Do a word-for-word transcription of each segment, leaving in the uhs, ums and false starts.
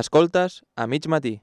Escoltes a mig matí.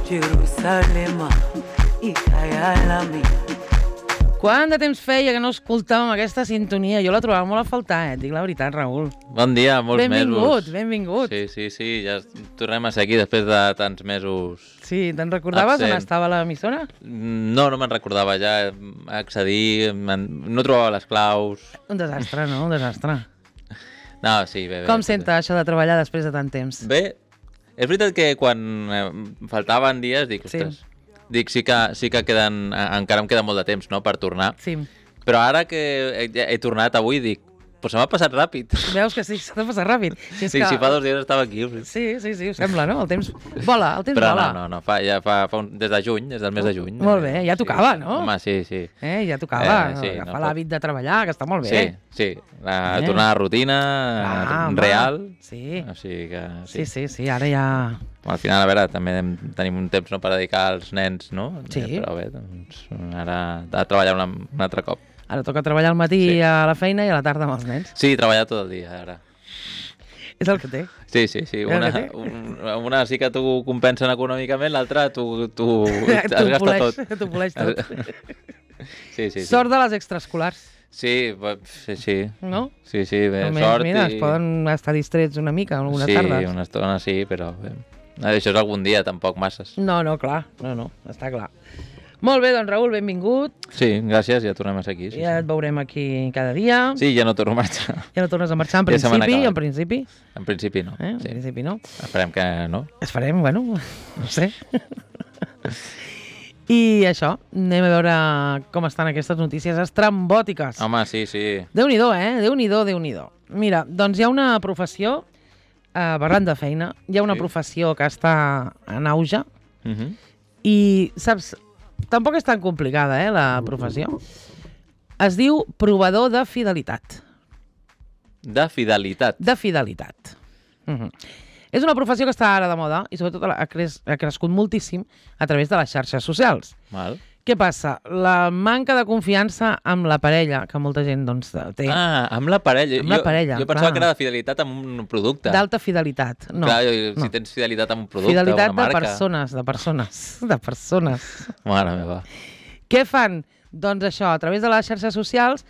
Jerusalem i Kayalami. Quant de temps feia que no escoltàvem aquesta sintonia? Jo la trobava molt a faltar, eh? Dic la veritat, Raül. Bon dia, molts benvingut, mesos. Benvingut, benvingut. Sí, sí, sí, ja tornem a ser aquí després de tants mesos. Sí, te'n recordaves absent. on estava l'emissora? No, no me'n recordava ja, accedir, no trobava les claus. Un desastre, no? Un desastre. No, sí, bé, bé. Com senta això de treballar després de tant temps? Bé, és veritat que quan eh, faltaven dies, dic, ostres, sí. dic, sí que, sí que queden, encara em queda molt de temps, no?, per tornar. Sí. Però ara que he, he tornat avui, dic, però se m'ha passat ràpid. Veus que sí, s'ha de passar ràpid. Si, sí, que... si fa dos dies estava aquí. Sí, sí, sí, ho sembla, no? El temps vola, el temps Però vola. no, no, no, fa, ja fa, fa un, des de juny, des del mes de juny. Molt bé, ja tocava, sí, no? Home, sí, sí. Eh, ja tocava Eh, sí, agafar no, l'hàbit de treballar, que està molt bé. Sí, sí, la, Eh. tornar a la rutina Ah, home. real. Sí. O sigui que, Sí, sí. sí, sí, ara ja... Al final, a veure, també tenim un temps no, per dedicar als nens, no? Sí. Però bé, doncs, ara a treballar un, un altre cop. Ara toca treballar al matí Sí. a la feina i a la tarda amb els nens. Sí, treballar tot el dia, ara. És el que té. Sí, sí, sí. És el Una, que té. un, una sí que t'ho compensen econòmicament, l'altra tu, tu has T'ho gastat poleix, tot. t'ho poleix tot. Sí, sí, sí. Sort de les extraescolars, Sí, sí, sí. no? Sí, sí, bé, Almenys, sort mira, i... es poden estar distrets una mica, algunes sí, tardes. una estona sí, però bé. Això és algun dia, tampoc masses. No, no, clar, no, no, està clar. Molt bé, doncs Raül, benvingut. Sí, gràcies, ja tornem a ser aquí. Sí, Ja sí. et veurem aquí cada dia. sí, ja no torno a marxar. Ja no tornes a marxar, en Ja se m'han principi, acabat. en principi. En principi no. Eh? En Sí. principi no. Esperem que no. Es farem, bueno, no sé. I això, anem a veure com estan aquestes notícies estrambòtiques. Home, sí, sí. Déu-n'hi-do, eh? Déu-n'hi-do, Déu-n'hi-do. Mira, doncs hi ha una professió, eh, parlant de feina, hi ha una Sí. professió que està en auge Uh -huh. i, saps, tampoc és tan complicada, eh, la professió. Es diu provador de fidelitat. De fidelitat. De fidelitat. Uh -huh. És una professió que està ara de moda i sobretot ha, cres ha crescut moltíssim a través de les xarxes socials. Mal. Què passa? La manca de confiança amb la parella, que molta gent doncs, té, Ah, amb la parella. Amb la jo, parella, Jo pensava clar. que era de fidelitat amb un producte. d'alta fidelitat. No, Clar, jo, si no. tens fidelitat amb un producte, Fidelitat una de marca... persones, de persones, de persones. Mare meva. Què fan? Doncs això, a través de les xarxes socials,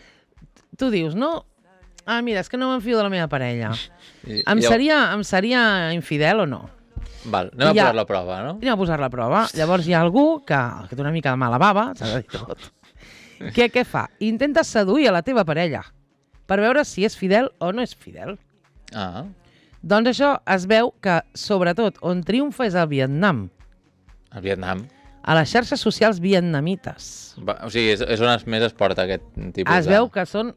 tu dius, no? Ah, mira, és que no m'enfio de la meva parella. I, Em i- seria, em seria infidel o no? Val, anem a I ja- posar la prova, no? Anem a posar la prova. Llavors hi ha algú que, que té una mica de mala bava, s'ha de dir tot. Què, què fa? Intenta seduir a la teva parella per veure si és fidel o no és fidel. Ah, Doncs això es veu que, sobretot, on triomfa és el Vietnam, al Vietnam. a les xarxes socials vietnamites. Va, o sigui, és, és on es, més es porta aquest tipus Es de... veu que són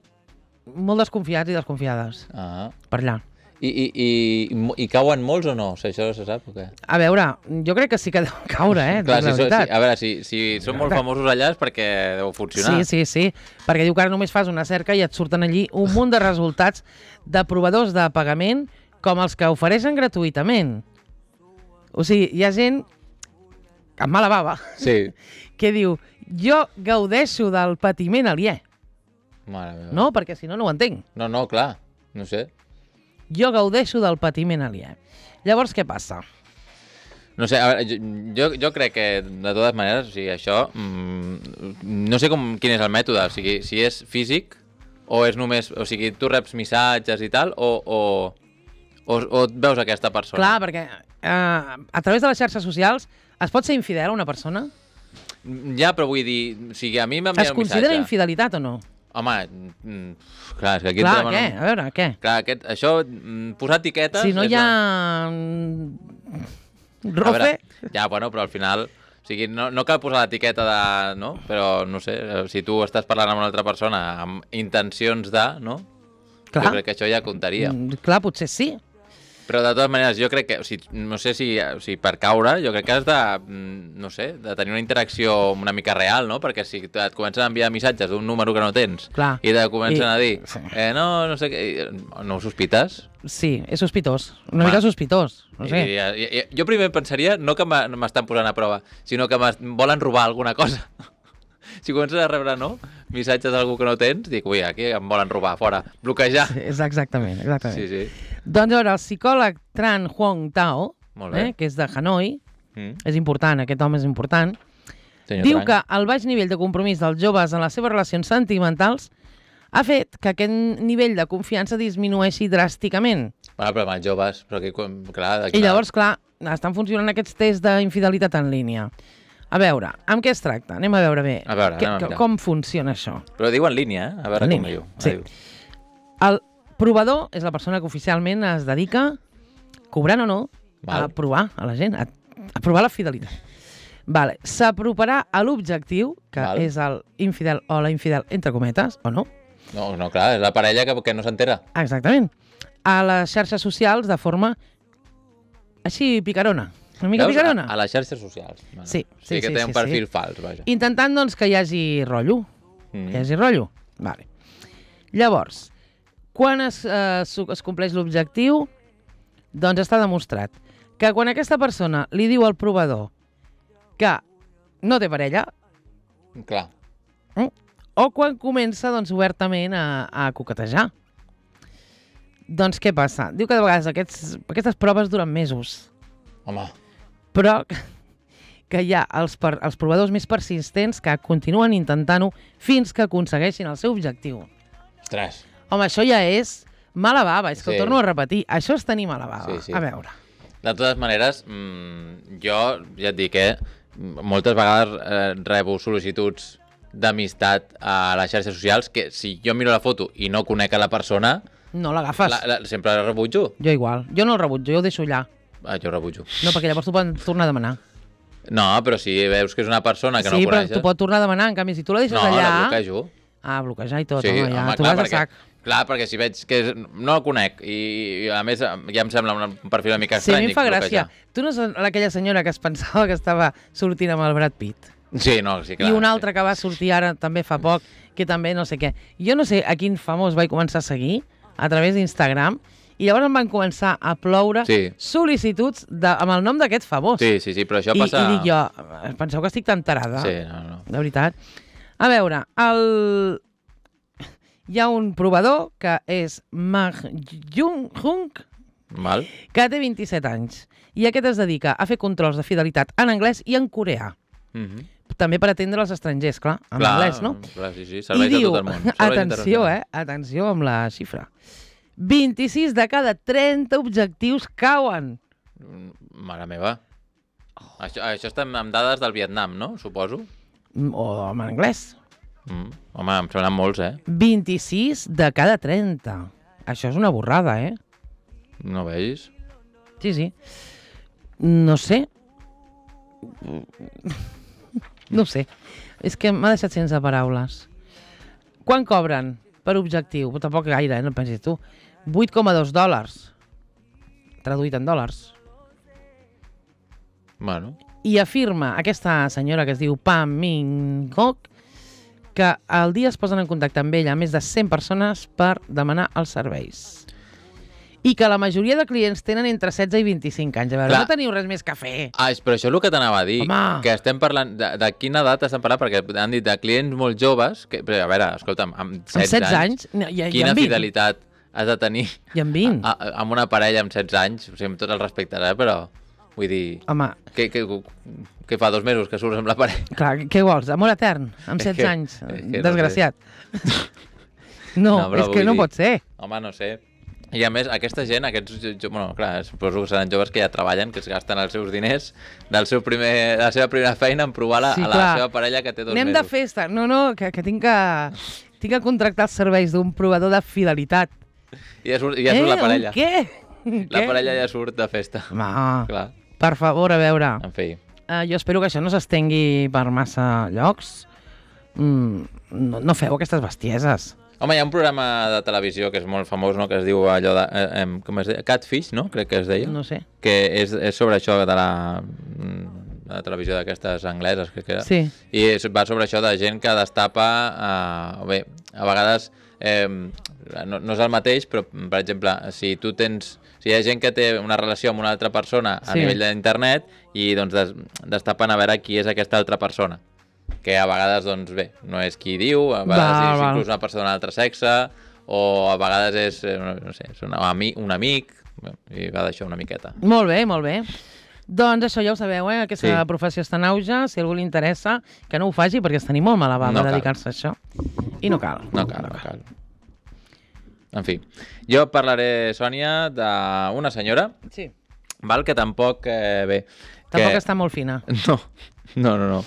molt desconfiats i desconfiades Ah. per allà. I, i, i, i cauen molts o no? O sigui, això se sap o què? A veure, jo crec que sí que deuen caure, eh? Clar, la si, so, si, veritat. a veure, si, si són molt famosos allà és perquè deu funcionar. Sí, sí, sí, perquè diu que ara només fas una cerca i et surten allí un munt de resultats de provadors de pagament com els que ofereixen gratuïtament. O sigui, hi ha gent amb mala bava Sí. que diu, jo gaudeixo del patiment aliè, Mare meva. no? Perquè si no, no ho entenc. No, no, clar, no sé. Jo gaudeixo del patiment aliè. Llavors, què passa? No sé, a veure, jo, jo, jo crec que, de totes maneres, o sigui, això... Mm, no sé com, quin és el mètode, o sigui, si és físic o és només... O sigui, tu reps missatges i tal, o, o, o, o et veus aquesta persona? Clar, perquè eh, a través de les xarxes socials es pot ser infidel a una persona? Ja, però vull dir, o sigui, a mi m'envia Es un considera missatge. infidelitat o no? Home, mm, clar, és que aquí Clar, entrem què? en un- A veure, què? Clar, aquest, això, mm, posar etiquetes... Si no és hi ha... la- mm, A rofe... veure, ja, bueno, però al final... O sigui, no, no cal posar l'etiqueta de... No? Però, no sé, si tu estàs parlant amb una altra persona amb intencions de... No? Clar. Jo crec que això ja comptaria. Mm, clar, potser sí. Però de totes maneres, jo crec que, o sigui, no sé si, o sigui, per caure, jo crec que has de, no sé, de tenir una interacció una mica real, no? Perquè si et comencen a enviar missatges d'un número que no tens Clar. i te comencen I... a dir, Sí. eh, no, no sé què, no ho sospites? Sí, és sospitós. Una Va. mica sospitós. No sé. I, i, i, jo primer pensaria, no que m'estan posant a prova, sinó que em volen robar alguna cosa. Si comences a rebre, no?, missatges d'algú que no tens, dic, ui, aquí em volen robar, fora, bloquejar. Sí, és exactament, exactament. Sí, sí. Doncs a veure, el psicòleg Tran Huong Tao, Molt bé. eh, que és de Hanoi, Mm. és important, aquest home és important, Senyor diu Tran. que el baix nivell de compromís dels joves en les seves relacions sentimentals ha fet que aquest nivell de confiança disminueixi dràsticament. Bueno, però amb els joves, però que, clar... I llavors, clar, estan funcionant aquests tests d'infidelitat en línia. A veure, amb què es tracta? Anem a veure bé A veure, que, anem a que, mirar. com funciona això. Però diu en línia, eh? A veure En com línia, diu. sí. Diu. El provador és la persona que oficialment es dedica, cobrant o no, Val. a provar a la gent, a, a provar la fidelitat. Vale. S'aproparà a l'objectiu, que Val. és el infidel o la infidel, entre cometes, o no? No, no, clar, és la parella que, que no s'entera. Exactament. A les xarxes socials de forma així picarona. Una mica Veus? picarona. A, a les xarxes socials. Bueno, Sí, sí, que sí, té sí, un perfil sí. fals, vaja. Intentant, doncs, que hi hagi rotllo. Mm. Que hi hagi rotllo. Vale. Llavors, quan es, eh, su- es compleix l'objectiu, doncs està demostrat que quan aquesta persona li diu al provador que no té parella, Clar. o quan comença doncs, obertament a, a coquetejar. Doncs què passa? Diu que de vegades aquests, aquestes proves duren mesos, Home, però que hi ha els, per, els provadors més persistents que continuen intentant-ho fins que aconsegueixin el seu objectiu. ostres. Home, això ja és mala bava, és que Sí. ho torno a repetir. Això és tenir mala bava. Sí, sí. A veure. De totes maneres, mmm, jo ja et dic, eh, moltes vegades eh, rebo sol·licituds d'amistat a les xarxes socials que si jo miro la foto i no conec a la persona, No l'agafes. la, la, sempre la rebutjo. Jo igual. Jo no el rebutjo, jo ho deixo allà. Ah, jo rebutjo. No, perquè llavors t'ho poden tornar a demanar. No, però si veus que és una persona que sí, no però coneixes... t'ho pot tornar a demanar. En canvi, si tu la deixes No, allà... la bloquejo. Ah, bloquejar i tot, Sí, home, ja. home, Tu clar, vas a perquè, sac. clar, perquè si veig que és, no el conec i, i a més ja em sembla un perfil una mica Sí, a estrany, mi em fa dic, gràcia. bloquejar. Tu no ets aquella senyora que es pensava que estava sortint amb el Brad Pitt? Sí, no, sí, clar. I una altra sí. que va sortir ara també fa poc, que també no sé què. Jo no sé a quin famós vaig començar a seguir a través d'Instagram i llavors em van començar a ploure Sí. sol·licituds de, amb el nom d'aquest famós. Sí, sí, sí, però això I, passa... I dic jo, penseu que estic tan tarada? Sí, no, no. De veritat. A veure, el... hi ha un provador que és Mag Jung Hung, Val? que té vint-i-set anys. I aquest es dedica a fer controls de fidelitat en anglès i en coreà. Mm -hmm. També per atendre els estrangers, clar, en clar, anglès, no? Clar, sí, sí, I serveis diu, a tot el món. Serveis atenció, internacionals. eh? Atenció amb la xifra. vint-i-sis de cada trenta objectius cauen. Mm, Mare meva. Això, això està amb dades del Vietnam, no? Suposo. Mm, O en anglès. Mm. Home, em semblen molts, eh? vint-i-sis de cada trenta. Això és una borrada, eh? No veus? Sí, sí. No sé. No sé. És que m'ha deixat sense paraules. Quan cobren per objectiu? Tampoc gaire, eh? No pensis tu. vuit coma dos dòlars. Traduït en dòlars. Bueno, I afirma aquesta senyora que es diu Pam Minh Gok que al dia es posen en contacte amb ella més de cent persones per demanar els serveis. I que la majoria de clients tenen entre setze i vint-i-cinc anys. A veure, Clar. no teniu res més que fer. ah, és- però això és el que t'anava a dir. Home. Que estem parlant... De, de quina edat estem parlant? Perquè han dit de clients molt joves... Que, però, a veure, escolta'm, amb setze, Amb setze anys, no, i, i quina amb vint. fidelitat has de tenir I amb vint. a, a, amb una parella amb setze anys? O sigui, amb tot el respecte, eh? Però, vull dir... Home, Que, que, que fa dos mesos que surts amb la parella. clar, què vols? Amor etern? Amb És setze que- anys? és que no Desgraciat. No, No, però és que vull no dir- pot ser. Home, no sé. I a més, aquesta gent, aquests, jo, jo- bueno, clar, suposo que seran joves que ja treballen, que es gasten els seus diners del seu primer, de la seva primera feina en provar la, Sí, a la clar. seva parella que té dos Anem mesos. de festa. No, no, que, que tinc que... Tinc que contractar els serveis d'un provador de fidelitat. I ja surt, ja surt la parella. Un què? La Què? parella ja surt de festa. Home, Clar, per favor, a veure. en fi. Uh, jo espero que això no s'estengui per massa llocs. Mm, no, no feu aquestes bestieses. Home, hi ha un programa de televisió que és molt famós, no?, que es diu allò de... Eh, eh, com es deia? Catfish, no?, crec que es deia. No sé. Que és, és sobre això de la, de la televisió d'aquestes angleses, crec que era. Sí. I és, va sobre això de gent que destapa... Eh, bé, a vegades... Eh, no, no és el mateix, però, per exemple, si tu tens... Si hi ha gent que té una relació amb una altra persona a Sí. nivell d'internet i doncs des, destapen a veure qui és aquesta altra persona. Que a vegades, doncs bé, no és qui diu, a vegades Val, és val. inclús una persona d'un altre sexe, o a vegades és, eh, no, no sé, és un, amic, un amic, bé, i va d'això una miqueta. Molt bé, molt bé. Doncs això ja ho sabeu, eh? Aquesta Sí. professió està en auge. Si a algú li interessa, que no ho faci, perquè està ni molt mala bava No cal. dedicar-se a això. I no cal. No cal, no cal. En fi, jo parlaré, Sònia, d'una senyora, Sí. val, que tampoc, eh, bé... Tampoc que... està molt fina. No, no, no, no.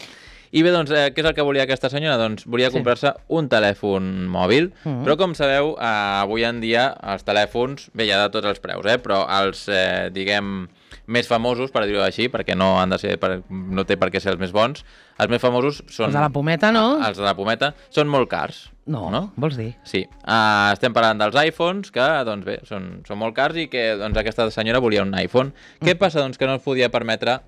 I bé, doncs, eh, què és el que volia aquesta senyora? Doncs volia Sí. comprar-se un telèfon mòbil, Mhm. però com sabeu, eh, avui en dia els telèfons, bé, hi ha de tots els preus, eh, però els, eh, diguem, més famosos, per dir-ho així, perquè no han de ser, per, no té per què ser els més bons, els més famosos són... Els de la pometa, no? Els de la pometa són molt cars. No, no? vols dir? Sí, uh, estem parlant dels iPhones, que, doncs bé, són, són molt cars i que doncs, aquesta senyora volia un iPhone. Què passa? Doncs que no es podia permetre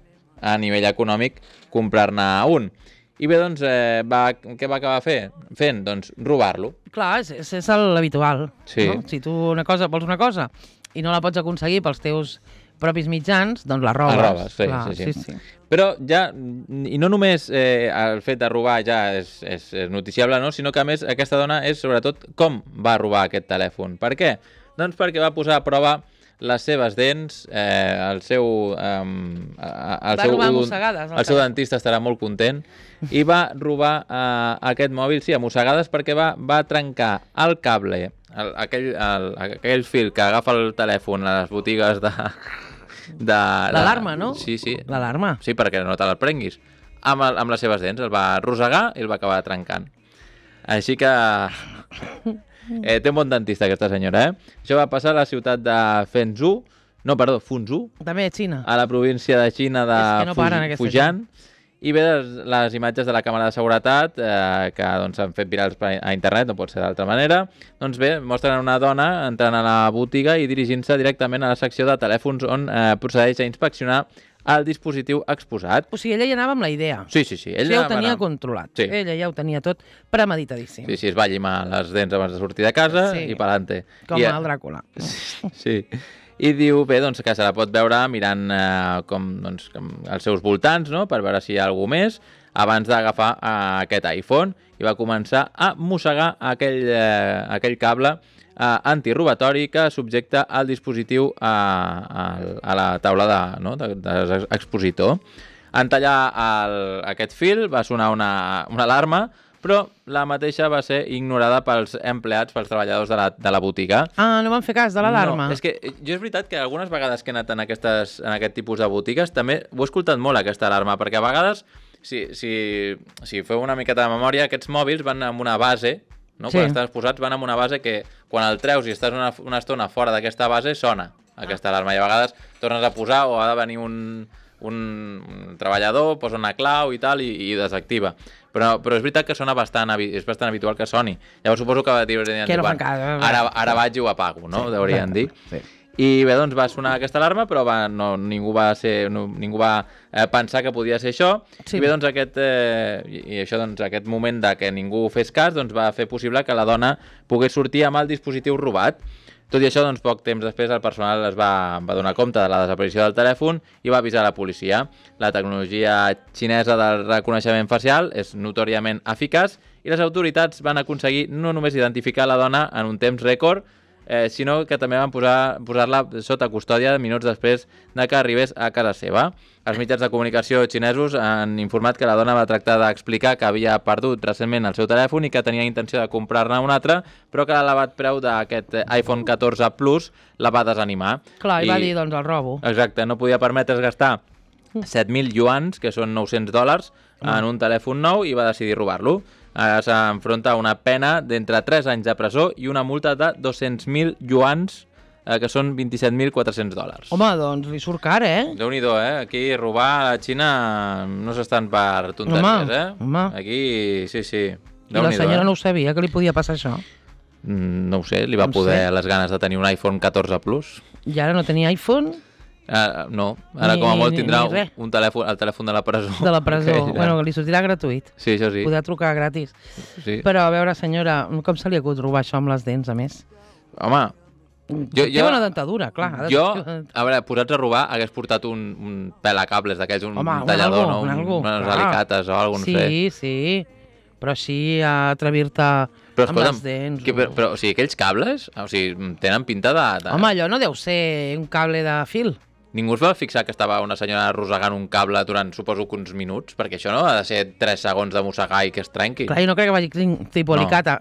a nivell econòmic comprar-ne un. I bé, doncs, eh, va, què va acabar fer? fent? Doncs robar-lo. Clar, és, és, és l'habitual. Sí. No? Si tu una cosa, vols una cosa i no la pots aconseguir pels teus propis mitjans, doncs la robes. La robes, sí, Clar, sí, sí. sí, sí. Però ja, i no només eh, el fet de robar ja és, és, és noticiable, no? Sinó que a més aquesta dona és sobretot com va robar aquest telèfon. Per què? Doncs perquè va posar a prova les seves dents, eh, el seu... Eh, el Va seu, robar mossegades, el el seu telèfon. dentista estarà molt content. I va robar eh, aquest mòbil, sí, a mossegades, perquè va, va trencar el cable, el, aquell, el, aquell fil que agafa el telèfon a les botigues de... de L'alarma, no? Sí, sí. L'alarma. Sí, perquè no te la prenguis. Amb, el, amb les seves dents, el va arrossegar i el va acabar trencant. Així que... Eh, té un bon dentista, aquesta senyora, eh? Això va passar a la ciutat de Fenzhou, no, perdó, Funzhou, També a Xina. a la província de Xina de És que no paren Fuj- aquesta Fujian. I bé, les, les imatges de la càmera de seguretat, eh, que doncs, s'han fet virals per- a internet, no pot ser d'altra manera, doncs bé, mostren una dona entrant a la botiga i dirigint-se directament a la secció de telèfons on eh, procedeix a inspeccionar el dispositiu exposat. O sigui, ella ja anava amb la idea. Sí, sí, sí. Ella ja ho va tenia anar- controlat. Sí. Ella ja ho tenia tot premeditadíssim. Sí, sí, es va llimar les dents abans de sortir de casa Sí. i pa'lante. Com I, el Dràcula. Sí. I diu, bé, doncs, que se la pot veure mirant eh, com, doncs, com els seus voltants, no?, per veure si hi ha algú més, abans d'agafar eh, aquest iPhone, i va començar a mossegar aquell, eh, aquell cable eh, antirobatori que subjecta el dispositiu a, a, a la taula de, no?, de, de expositor. En tallar el, aquest fil va sonar una, una alarma, però la mateixa va ser ignorada pels empleats, pels treballadors de la, de la botiga. Ah, no van fer cas de l'alarma. No, és que jo és veritat que algunes vegades que he anat en, aquestes, en aquest tipus de botigues també ho he escoltat molt, aquesta alarma, perquè a vegades, si, si, si feu una miqueta de memòria, aquests mòbils van amb una base, no? Sí. Quan estan exposats van amb una base que quan el treus i estàs una, una estona fora d'aquesta base, sona aquesta alarma, i a vegades tornes a posar o ha de venir un, un, un treballador, posa una clau i tal, i, i desactiva. Però, però és veritat que sona bastant, habi- és bastant habitual que soni. Llavors suposo que haurien Que dit, no fan "Bueno, cas". ara, ara vaig i ho apago, no? Sí, Deurien exacte. dir. Sí. I bé, doncs va sonar aquesta alarma, però va, no, ningú va, ser, no, ningú va eh, pensar que podia ser això. Sí. I bé, doncs aquest, eh, i, i això, doncs, aquest moment de que ningú fes cas doncs, va fer possible que la dona pogués sortir amb el dispositiu robat. Tot i això, doncs, poc temps després, el personal es va, va donar compte de la desaparició del telèfon i va avisar la policia. La tecnologia xinesa del reconeixement facial és notòriament eficaç i les autoritats van aconseguir no només identificar la dona en un temps rècord, eh, sinó que també van posar- posar-la sota custòdia minuts després de que arribés a casa seva. Els mitjans de comunicació xinesos han informat que la dona va tractar d'explicar que havia perdut recentment el seu telèfon i que tenia intenció de comprar-ne un altre, però que l'elevat preu d'aquest iPhone catorze Plus la va desanimar. Clar, i va dir, doncs, el robo. Exacte, no podia permetre's gastar set mil yuans, que són nou-cents dòlars, en un telèfon nou i va decidir robar-lo. Ara s'enfronta a una pena d'entre tres anys de presó i una multa de dos-cents mil yuans, eh, que són vint-i-set mil quatre-cents dòlars. Home, doncs li surt car, eh? Déu-n'hi-do, eh? Aquí robar a la Xina no s'estan per tonteries, Home, eh? home. Aquí, sí, sí. I la Déu-n'hi-do, senyora eh? no ho sabia, que li podia passar això. no ho sé, li va No poder sé. les ganes de tenir un iPhone catorze Plus. I ara no tenia iPhone Uh, no, ara Ni- com a molt ni- tindrà ni res. un, un telèfon, el telèfon de la presó. de la presó. Que ja- Bueno, li sortirà gratuït. Sí, això sí. Podrà trucar gratis. sí. Però, a veure, senyora, com se li acut robar això amb les dents, a més? Home, Jo- Té jo- bona dentadura, clar. ha de- jo, a veure, posats a robar, hagués portat un, un pelacables d'aquells, un, Home, un un tallador, algo, no? un algo, unes clar. alicates o alguna cosa, no sé. Sí, sí. Però així, a atrevir-te Però, amb escolta'm, les dents. que, però, però, o sigui, aquells cables, o sigui, tenen pinta de... de... Home, allò no deu ser un cable de fil. Ningú es va fixar que estava una senyora arrossegant un cable durant, suposo, que uns minuts? Perquè això no ha de ser tres segons de mossegar i que es trenqui. Clar, jo no crec que vagi clink, tipus No. alicata.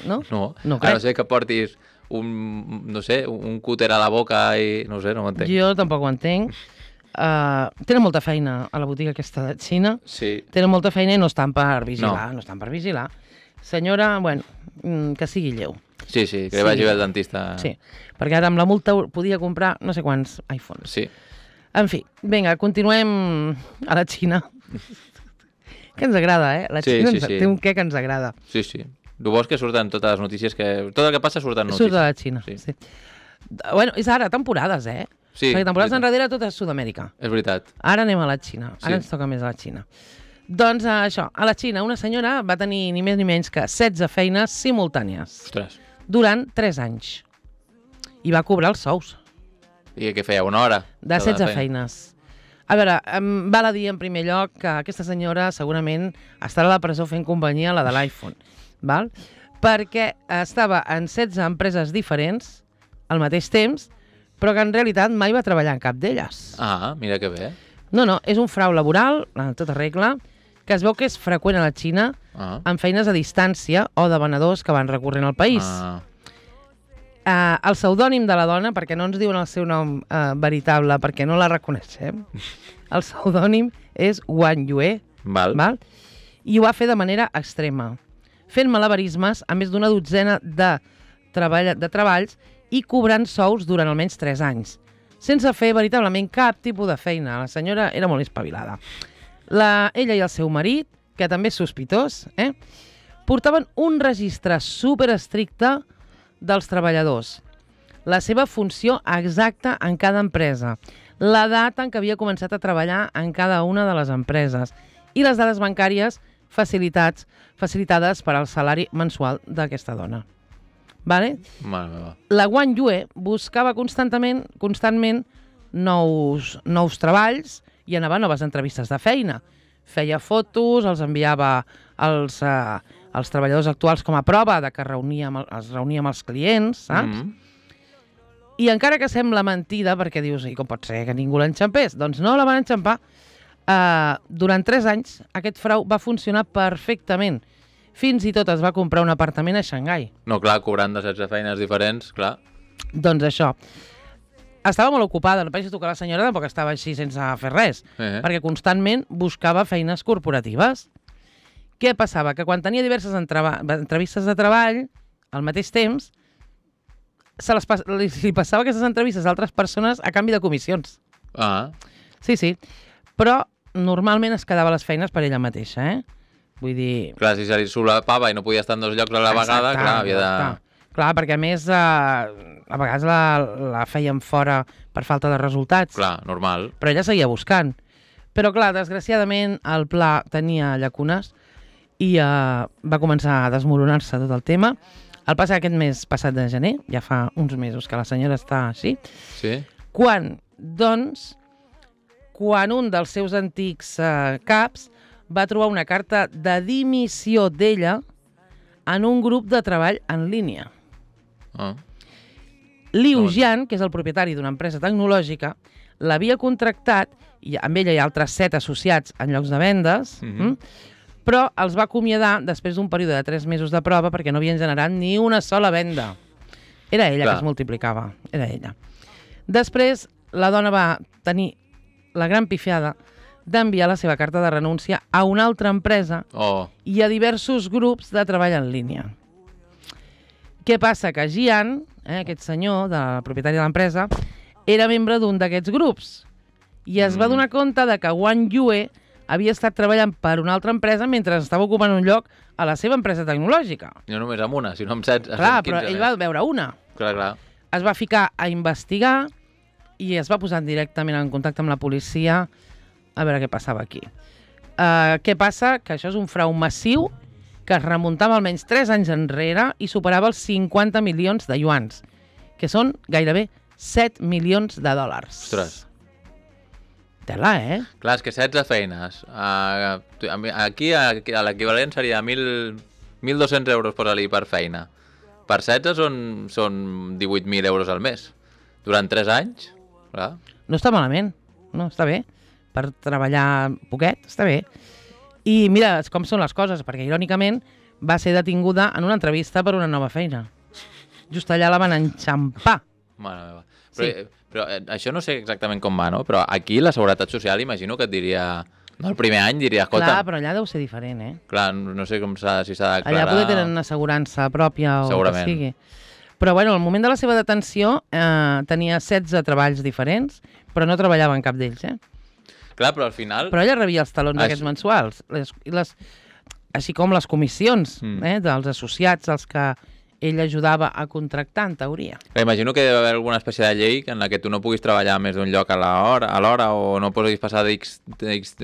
No? No, No a crec. no ser que portis un, no sé, un cúter a la boca i... No sé, no m'entenc. Jo tampoc ho entenc. Uh, tenen molta feina a la botiga aquesta de Xina. Sí. Tenen molta feina i no estan per vigilar. No, no estan per vigilar. Senyora, bueno, mm, que sigui lleu. Sí, sí, que Sí. vagi bé el dentista. Sí, perquè ara amb la multa podia comprar no sé quants iPhones. Sí. En fi, vinga, continuem a la Xina. Que ens agrada, eh? La Sí, Xina sí, ens, sí. té un què que ens agrada. Sí, sí. El bo és que surten totes les notícies, que tot el que passa surten notícies. Surt de la Xina, Sí. sí. sí. Bueno, és ara, temporades, eh? Sí, Perquè temporades veritat. enrere tot és Sud-amèrica. És veritat. Ara anem a la Xina. Ara Sí. ens toca més a la Xina. Doncs uh, això, a la Xina una senyora va tenir ni més ni menys que setze feines simultànies Ostres. durant tres anys. I va cobrar els sous I què feia? Una hora? de setze feines. A veure, em val a dir en primer lloc que aquesta senyora segurament estarà a la presó fent companyia a la de l'iPhone, val? Perquè estava en setze empreses diferents al mateix temps, però que en realitat mai va treballar en cap d'elles. Ah, mira que bé. No, no, és un frau laboral, en tota regla, que es veu que és freqüent a la Xina Ah. amb feines a distància o de venedors que van recorrent al país. Ah. Uh, el pseudònim de la dona, perquè no ens diuen el seu nom uh, veritable, perquè no la reconeixem, el pseudònim és Wang Yue, Val. val? I ho va fer de manera extrema, fent malabarismes a més d'una dotzena de, treball, de treballs i cobrant sous durant almenys tres anys, sense fer veritablement cap tipus de feina. La senyora era molt espavilada. La, ella i el seu marit, que també és sospitós, eh, portaven un registre superestricte dels treballadors, la seva funció exacta en cada empresa, la data en què havia començat a treballar en cada una de les empreses i les dades bancàries facilitats, facilitades per al salari mensual d'aquesta dona. Vale? Mare meva. La Wang Yue buscava constantment, constantment nous, nous treballs i anava a noves entrevistes de feina. Feia fotos, els enviava als, uh, als treballadors actuals com a prova de que reunia amb el, es reunia amb els clients, saps? Mm. I encara que sembla mentida, perquè dius, i com pot ser que ningú l'enxampés? Doncs no la van enxampar. Uh, durant tres anys aquest frau va funcionar perfectament. Fins i tot es va comprar un apartament a Xangai. No, clar, cobrant de setze feines diferents, clar. Doncs això. Estava molt ocupada, no pensis tu que la senyora tampoc estava així sense fer res, Eh. perquè constantment buscava feines corporatives. Què passava? Que quan tenia diverses entreva- entrevistes de treball, al mateix temps, se les pas li, li passava aquestes entrevistes a altres persones a canvi de comissions. Ah, Sí, sí. Però normalment es quedava les feines per ella mateixa, eh? Vull dir... clar, si se li solapava i no podia estar en dos llocs a la vegada, Exacte, clar, havia de... exacte. Clar, perquè a més eh, a vegades la, la feien fora per falta de resultats. Clar, normal. Però ella seguia buscant. Però clar, desgraciadament el pla tenia llacunes i eh, va començar a desmoronar-se tot el tema. El passat aquest mes passat de gener, ja fa uns mesos que la senyora està així, Sí? quan, doncs, quan un dels seus antics eh, caps va trobar una carta de dimissió d'ella en un grup de treball en línia. Ah. Liu Doncs. Jian, que és el propietari d'una empresa tecnològica, l'havia contractat, i amb ella hi ha altres set associats en llocs de vendes, Mhm. mm, però els va acomiadar després d'un període de tres mesos de prova perquè no havien generat ni una sola venda. Era ella Clar. que es multiplicava, era ella. Després, la dona va tenir la gran pifiada d'enviar la seva carta de renúncia a una altra empresa Oh, i a diversos grups de treball en línia. Què passa? Que Jian, eh, aquest senyor, del propietari de l'empresa, era membre d'un d'aquests grups i es va Mm. donar compte de que Wang Yue havia estat treballant per una altra empresa mentre estava ocupant un lloc a la seva empresa tecnològica. No només amb una, sinó amb setze, Clar, quinze però ell va veure una. Clar, clar. Es va ficar a investigar i es va posar directament en contacte amb la policia a veure què passava aquí. Uh, què passa? Que això és un frau massiu que es remuntava almenys tres anys enrere i superava els cinquanta milions de yuans, que són gairebé set milions de dòlars. Ostres. Tela, eh? Clar, és que setze feines. Uh, aquí, aquí l'equivalent seria mil dos-cents euros posa-li per feina. Per setze són, són divuit mil euros al mes. Durant tres anys, clar. No està malament, no, està bé. Per treballar poquet, està bé. I mira com són les coses, perquè irònicament va ser detinguda en una entrevista per una nova feina. Just allà la van enxampar. Mare meva. Però, sí. però eh, això no sé exactament com va, no? Però aquí la Seguretat Social imagino que et diria... No, el primer any diria, escolta... Clar, però allà deu ser diferent, eh? Clar, no sé com s'ha, si s'ha de declarar... Allà poder tenen una assegurança pròpia o Segurament. que sigui. Però bueno, al moment de la seva detenció eh, tenia setze treballs diferents, però no treballava en cap d'ells, eh? Clar, però al final... Però ella rebia els talons Això... aquests mensuals, les, les, així com les comissions Mm. eh, dels associats als que ell ajudava a contractar, en teoria. Clar, imagino que deve haver alguna espècie de llei en la que tu no puguis treballar a més d'un lloc a l'hora a l'hora o no puguis passar d'X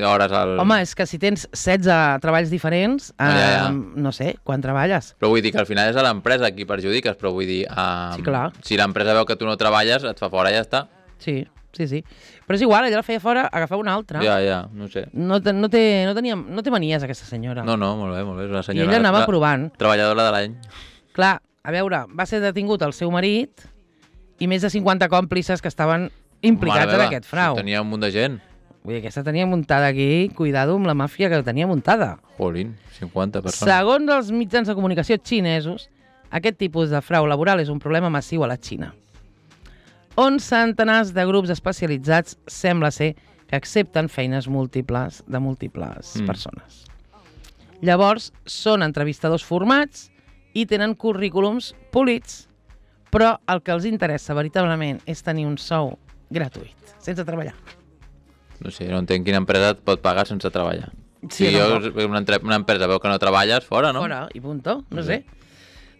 hores al... Home, és que si tens setze treballs diferents, eh, Ah, ja, ja. no sé, quan treballes? Però vull dir que al final és a l'empresa qui perjudiques, però vull dir... Um, Sí, clar. Si l'empresa veu que tu no treballes, et fa fora i ja està. Sí, sí, sí. Però és igual, ella la feia fora, agafava una altra. Ja, ja, no sé. No, te, no, té, no, tenia, no té manies, aquesta senyora. No, no, molt bé, molt bé. És una I senyora... ella anava tra- provant. Treballadora de l'any. Clar, a veure, va ser detingut el seu marit i més de cinquanta còmplices que estaven implicats Mare en meva, aquest frau. si tenia un munt de gent. Vull dir, aquesta tenia muntada aquí, cuidado amb la màfia que tenia muntada. Jolín, cinquanta persones. Segons els mitjans de comunicació xinesos, aquest tipus de frau laboral és un problema massiu a la Xina, on centenars de grups especialitzats sembla ser que accepten feines múltiples de múltiples Mm. persones. Llavors, són entrevistadors formats i tenen currículums polits, però el que els interessa veritablement és tenir un sou gratuït, sense treballar. No sé, no entenc quina empresa et pot pagar sense treballar. Sí, si no, jo, una, entre- una empresa veu que no treballes, fora, no? Fora, i punto, no Sí. sé.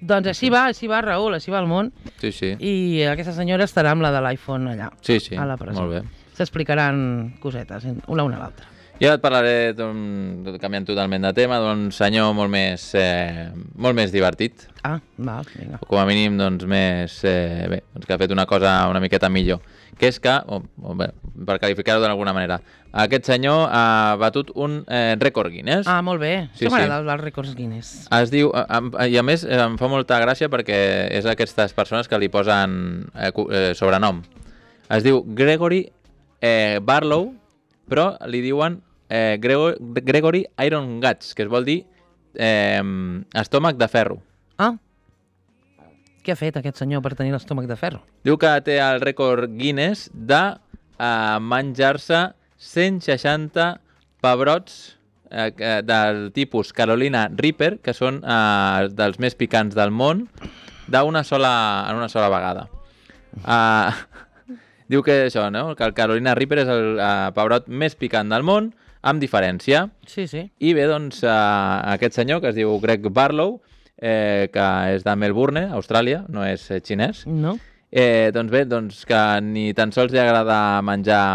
Doncs així va, així va, Raül, així va el món. Sí, sí. I aquesta senyora estarà amb la de l'iPhone allà, Sí, sí, a la presó. molt bé. S'explicaran cosetes, una a una a l'altra. Jo et parlaré, d'un- canviant totalment de tema, d'un senyor molt més, eh, molt més divertit. Ah, val, vinga. O com a mínim, doncs, més... Eh, bé, doncs que ha fet una cosa una miqueta millor. Que és que, o, o bé, per qualificar-ho d'alguna manera, aquest senyor ha batut un eh, rècord Guinness. Ah, molt bé. Sí, Això m'agrada, sí. els rècords Guinness. Es diu, a- a- i a més eh, em fa molta gràcia perquè és aquestes persones que li posen eh, cu- eh, sobrenom. Es diu Gregory eh, Barlow, però li diuen eh, Gregor, Gregory Iron Guts, que es vol dir eh, estómac de ferro. Ah, què ha fet aquest senyor per tenir l'estómac de ferro? Diu que té el rècord Guinness de eh, menjar-se cent seixanta pebrots eh, eh, del tipus Carolina Reaper, que són eh, dels més picants del món, d'una sola, en una sola vegada. Uh, diu que això, no? Que el Carolina Reaper és el uh, pebrot més picant del món, amb diferència. Sí, sí. I bé, doncs, uh, aquest senyor, que es diu Greg Barlow, eh, que és de Melbourne, Austràlia, no és eh, xinès, No? eh, doncs bé, doncs que ni tan sols li agrada menjar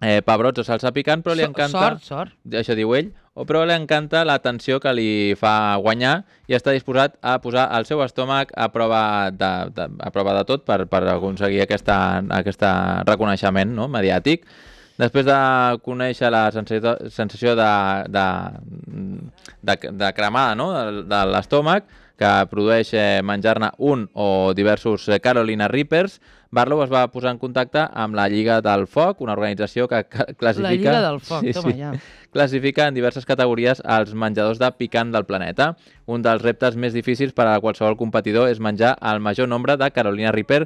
eh, pebrots o salsa picant, però li So- encanta... Sort, sort. Això diu ell, o però li encanta l'atenció que li fa guanyar i està disposat a posar el seu estómac a prova de, de, a prova de tot per, per aconseguir aquesta, aquesta reconeixement, no?, mediàtic. Després de conèixer la sensació, sensació de, de, de, de cremada, no?, de, de l'estómac, que produeix eh, menjar-ne un o diversos eh, Carolina Reapers, Barlow es va posar en contacte amb la Lliga del Foc, una organització que ca- classifica... La Lliga del Foc, toma, ja. Classifica en diverses categories els menjadors de picant del planeta. Un dels reptes més difícils per a qualsevol competidor és menjar el major nombre de Carolina Reaper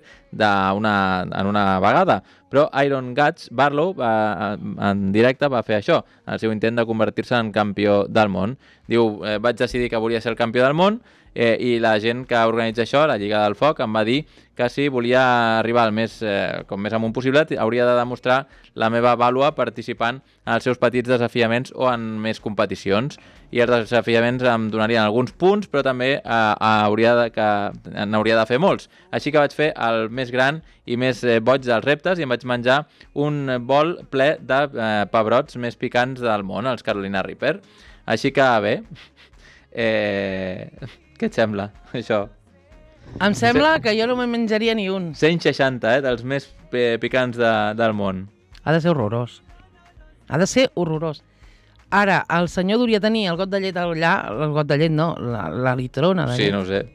una, en una vegada. Però Iron Guts Barlow va, en directe va fer això, el seu intent de convertir-se en campió del món. Diu, eh, vaig decidir que volia ser el campió del món eh, i la gent que organitza això, la Lliga del Foc, em va dir que si volia arribar al més, eh, com més amunt possible, hauria de demostrar la meva vàlua participant en els seus petits desafiaments desafiaments o en més competicions. I els desafiaments em donarien alguns punts, però també eh, hauria de, que n'hauria de fer molts. Així que vaig fer el més gran i més eh, boig dels reptes i em vaig menjar un bol ple de eh, pebrots més picants del món, els Carolina Reaper. Així que bé, eh, què et sembla, això? Em sembla que jo no me'n menjaria ni un. cent seixanta, eh, dels més eh, picants de, del món. Ha de ser horrorós. Ha de ser horrorós. Ara, el senyor hauria tenir el got de llet allà, el got de llet no, la, la litrona de Sí, llet. no ho sé.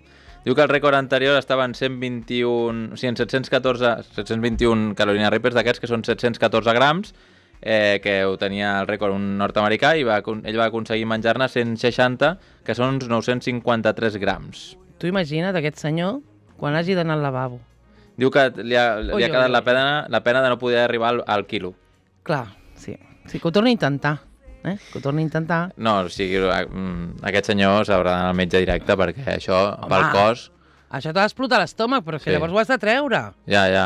Diu que el rècord anterior estava en cent vint-i-un, o sigui, en set-cents catorze, set-cents vint-i-un Carolina Reapers d'aquests, que són set-cents catorze grams, eh, que ho tenia el rècord un nord-americà, i va, ell va aconseguir menjar-ne cent seixanta, que són uns nou-cents cinquanta-tres grams. Tu imagina't aquest senyor quan hagi d'anar al lavabo. Diu que li ha, li Ui, ha quedat ui, la ui. pena, la pena de no poder arribar al, al quilo. Clar, sí. Sí, que ho torni a intentar. Eh? Que ho torni a intentar. No, o sigui, mm, aquest senyor s'haurà d'anar al metge directe perquè això, Home, pel cos... Això t'ha d'explotar l'estómac, però que Sí. llavors ho has de treure. Ja, ja.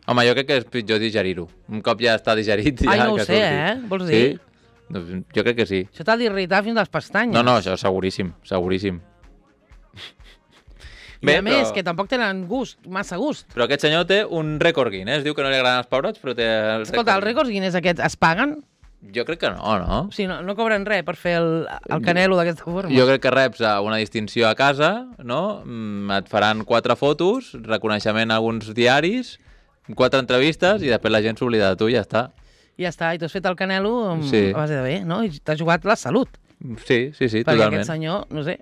Home, jo crec que és pitjor digerir-ho. Un cop ja està digerit... Ai, ja no ho que sé, surti. eh? Vols dir? Sí? Doncs jo crec que sí. Això t'ha d'irritar fins les pestanyes. No, no, això seguríssim, seguríssim. I a més, que tampoc tenen gust, massa gust. Però aquest senyor té un rècord Guinness. Diu que no li agraden els pebrots, però té el Escolta, els rècords Guinness aquests es paguen? Jo crec que no, no? O sigui, no, no cobren res per fer el, el canelo d'aquesta forma? Jo crec que reps a una distinció a casa, no? Mm, et faran quatre fotos, reconeixement a alguns diaris, quatre entrevistes i després la gent s'oblida de tu i ja està. I ja està, i tu has fet el canelo amb, Sí. a base de bé, no? I t'has jugat la salut. Sí, sí, sí, Perquè totalment. aquest senyor, no sé,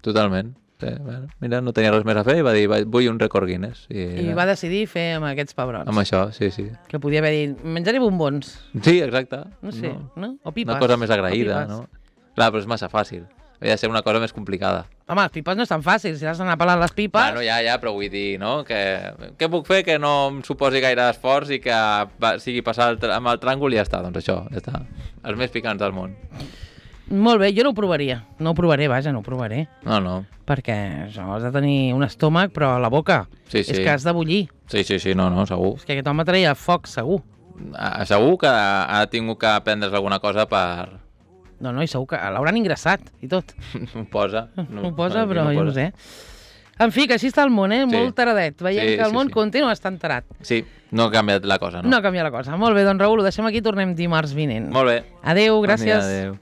Totalment. Sí, bueno, mira, no tenia res més a fer i va dir, "Va- vull un rècord Guinness. I, i va decidir fer amb aquests pebrots. Amb això, sí, sí. Que podia haver dit, menjaré bombons, Sí, exacte. no sé, no? no? O pipes. Una cosa més o agraïda, pipes. no? Clar, però és massa fàcil. Havia de ser una cosa més complicada. Home, les pipes no és tan fàcil, si has d'anar pelant les pipes... Bueno, ja, ja, però vull dir, no? Que, què puc fer que no em suposi gaire esforç i que va, sigui passar el, amb el tràngol i ja està, doncs això, ja està. Els més picants del món. Molt bé, jo no ho provaria. No ho provaré, vaja, no ho provaré. No, no. Perquè això, has de tenir un estómac, però a la boca. Sí, sí. És que has de bullir. Sí, sí, sí, no, no, segur. És que aquest home traia foc, segur. Ah, segur que ha tingut que prendre's alguna cosa per... No, no, i segur que l'hauran ingressat i tot. Ho posa. No, ho posa, aquí però jo no posa. sé. En fi, que així està el món, eh? Sí. Molt taradet. Veiem Sí, que el sí, món sí. continua estant tarat. Sí, no ha canviat la cosa, no? No canvia la cosa. Molt bé, doncs Raül, ho deixem aquí, tornem dimarts vinent. Molt bé. Adéu, gràcies. Bon dia, adéu.